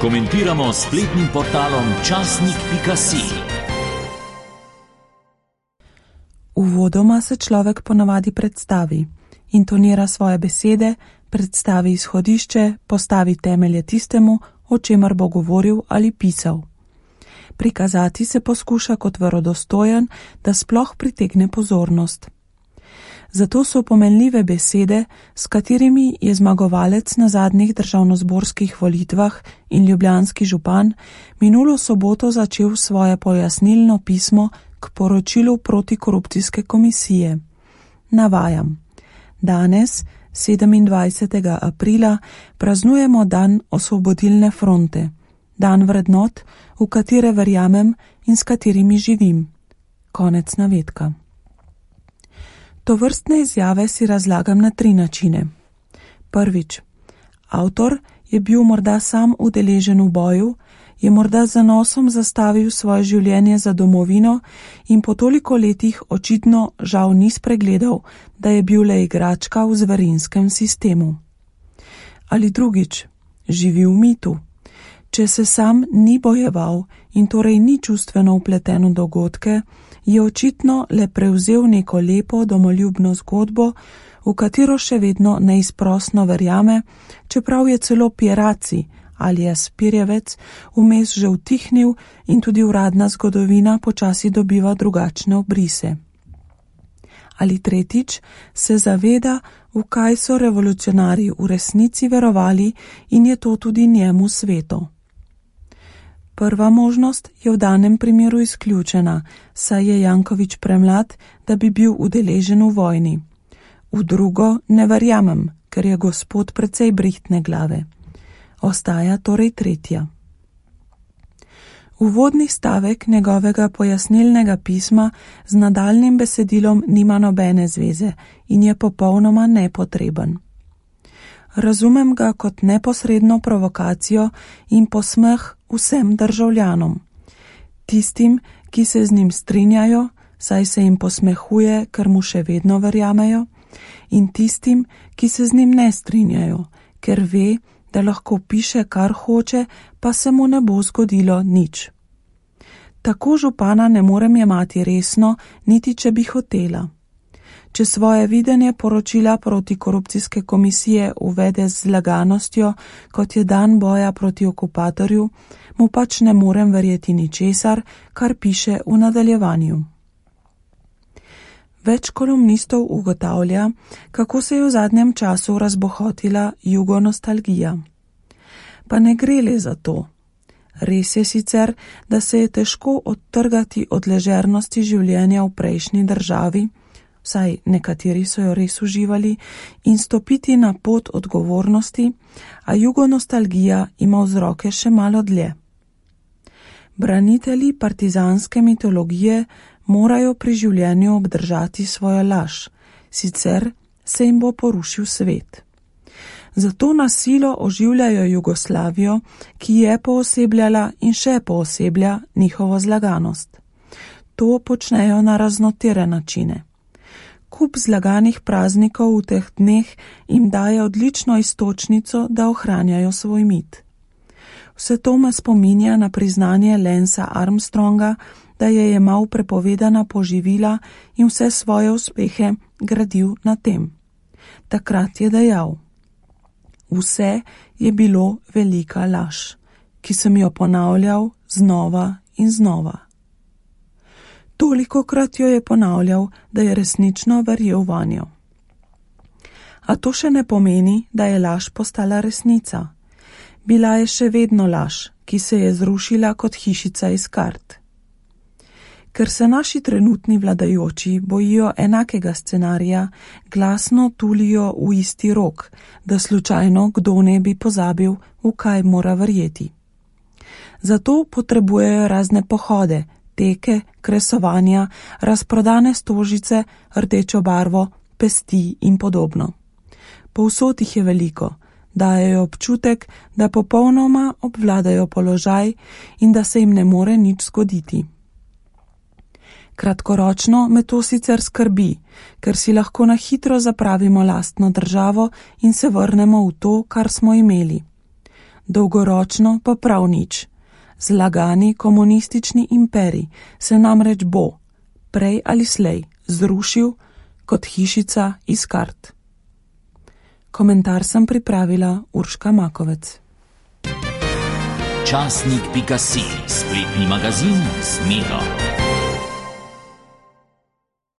Komentiramo s spletnim portalom časnik.si. Uvodoma se človek ponavadi predstavi, intonira svoje besede, predstavi izhodišče, postavi temelje tistemu, o čemer bo govoril ali pisal. Prikazati se poskuša kot verodostojen, da sploh pritegne pozornost. Zato so pomenljive besede, s katerimi je zmagovalec na zadnjih državnozborskih volitvah in ljubljanski župan minulo soboto začel svoje pojasnilno pismo k poročilu protikorupcijske komisije. Navajam: danes, 27. aprila, praznujemo dan Osvobodilne fronte, dan vrednot, v katere verjamem in s katerimi živim. Konec navedka. Tovrstne izjave si razlagam na 3 načine. Prvič, avtor je bil morda sam udeležen v boju, je morda z zanosom zastavil svoje življenje za domovino in po toliko letih očitno žal ni spregledal, da je bil le igračka v zverinskem sistemu. Ali drugič, živi v mitu. Če se sam ni bojeval in torej ni čustveno vpleten v dogodke, je očitno le prevzel neko lepo domoljubno zgodbo, v katero še vedno neizprosno verjame, čeprav je celo Pieraci ali Spirjevec vmes že utihnil in tudi uradna zgodovina počasi dobiva drugačne obrise. Ali tretjič, se zaveda, v kaj so revolucionarji v resnici verovali in je to tudi njemu sveto. Prva možnost je v danem primeru izključena, saj je Janković premlad, da bi bil udeležen v vojni. V drugo ne verjamem, ker je gospod precej brihtne glave. Ostaja torej tretja. Uvodni stavek njegovega pojasnilnega pisma z nadaljnjim besedilom nima nobene zveze in je popolnoma nepotreben. Razumem ga kot neposredno provokacijo in posmeh vsem državljanom. Tistim, ki se z njim strinjajo, saj se jim posmehuje, ker mu še vedno verjamejo, in tistim, ki se z njim ne strinjajo, ker ve, da lahko piše, kar hoče, pa se mu ne bo zgodilo nič. Tako župana ne morem jemati resno, niti če bi hotela. Če svoje videnje poročila protikorupcijske komisije uvede z zlaganostjo, kot je dan boja proti okupatorju, mu pač ne morem verjeti ničesar, kar piše v nadaljevanju. Več kolumnistov ugotavlja, kako se je v zadnjem času razbohotila jugonostalgija. Pa ne gre le za to. Res je sicer, da se je težko odtrgati od ležernosti življenja v prejšnji državi, vsaj nekateri so jo res uživali, in stopiti na pot odgovornosti, a jugonostalgija ima vzroke še malo dlje. Branitelji partizanske mitologije morajo pri življenju obdržati svojo laž, sicer se jim bo porušil svet. Zato na silo oživljajo Jugoslavijo, ki je poosebljala in še pooseblja njihovo zlaganost. To počnejo na raznotere načine. Kup zlaganih praznikov v teh dneh jim daje odlično iztočnico, da ohranjajo svoj mit. Vse to me spominja na priznanje Lensa Armstronga, da je jemal prepovedana poživila in vse svoje uspehe gradil na tem. Takrat je dejal: vse je bilo velika laž, ki sem jo ponavljal znova in znova. Tolikokrat jo je ponavljal, da je resnično verjel vanjo. A to še ne pomeni, da je laž postala resnica. Bila je še vedno laž, ki se je zrušila kot hišica iz kart. Ker se naši trenutni vladajoči bojijo enakega scenarija, glasno tulijo v isti rok, da slučajno kdo ne bi pozabil, v kaj mora verjeti. Zato potrebujejo razne pohode, teke, kresovanja, razprodane stožice, rdečo barvo, pesti in podobno. Povsod jih je veliko, dajejo občutek, da popolnoma obvladajo položaj in da se jim ne more nič zgoditi. Kratkoročno me to sicer skrbi, ker si lahko na hitro zapravimo lastno državo in se vrnemo v to, kar smo imeli. dolgoročno pa prav nič. Zlagani komunistični imperij se namreč bo, prej ali slej, zrušil kot hišica iz kart. Komentar sem pripravila Urška Makovec. Časnik.si, spletni magazin z Miro.